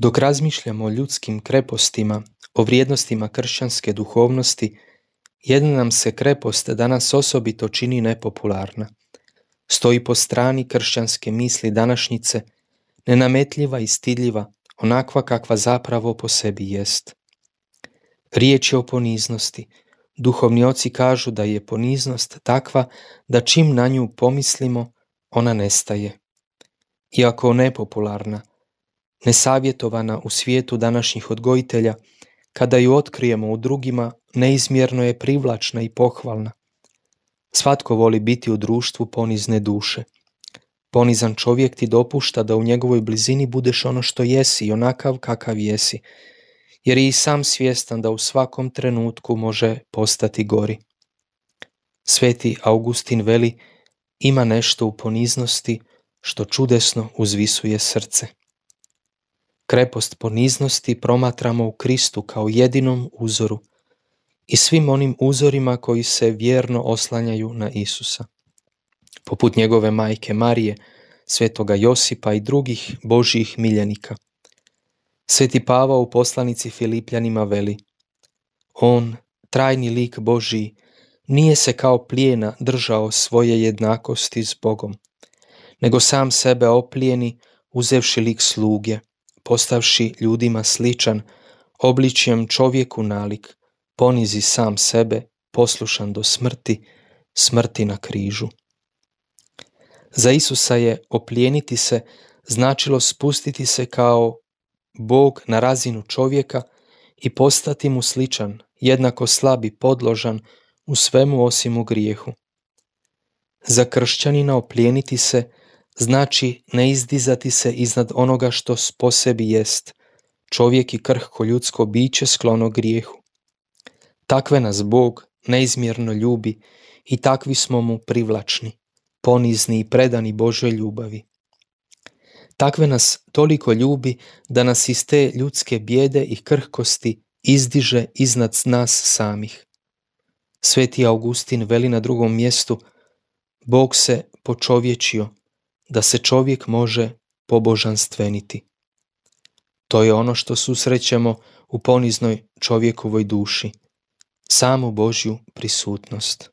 Dok razmišljamo o ljudskim krepostima, o vrijednostima kršćanske duhovnosti, jedna nam se krepost danas osobito čini nepopularna. Stoji po strani kršćanske misli današnjice, nenametljiva i stidljiva, onakva kakva zapravo po sebi jest. Riječ je o poniznosti. Duhovni oci kažu da je poniznost takva da čim na nju pomislimo, ona nestaje. Iako nepopularna, nesavjetovana u svijetu današnjih odgojitelja, kada ju otkrijemo u drugima, neizmjerno je privlačna i pohvalna. Svatko voli biti u društvu ponizne duše. Ponizan čovjek ti dopušta da u njegovoj blizini budeš ono što jesi i onakav kakav jesi, jer je i sam svjestan da u svakom trenutku može postati gori. Sveti Augustin veli, ima nešto u poniznosti što čudesno uzvisuje srce. Krepost poniznosti promatramo u Kristu kao jedinom uzoru i svim onim uzorima koji se vjerno oslanjaju na Isusa. Poput njegove majke Marije, svetoga Josipa i drugih Božjih miljenika. Sveti Pavao u poslanici Filipljanima veli, on, trajni lik Božji, nije se kao plijena držao svoje jednakosti s Bogom, nego sam sebe oplijeni uzevši lik sluge, postavši ljudima sličan, obličjem čovjeku nalik, ponizi sam sebe, poslušan do smrti, smrti na križu. Za Isusa je oplijeniti se značilo spustiti se kao Bog na razinu čovjeka i postati mu sličan, jednako slab i podložan u svemu osim u grijehu. Za kršćanina oplijeniti se znači ne izdizati se iznad onoga što po sebi jest, čovjek i krhko ljudsko biće sklono grijehu. Takve nas Bog neizmjerno ljubi i takvi smo mu privlačni, ponizni i predani Božoj ljubavi. Takve nas toliko ljubi da nas iz te ljudske bijede i krhkosti izdiže iznad nas samih. Sveti Augustin veli na drugom mjestu, Bog se počovječio da se čovjek može pobožanstveniti. To je ono što susrećemo u poniznoj čovjekovoj duši, samu Božju prisutnost.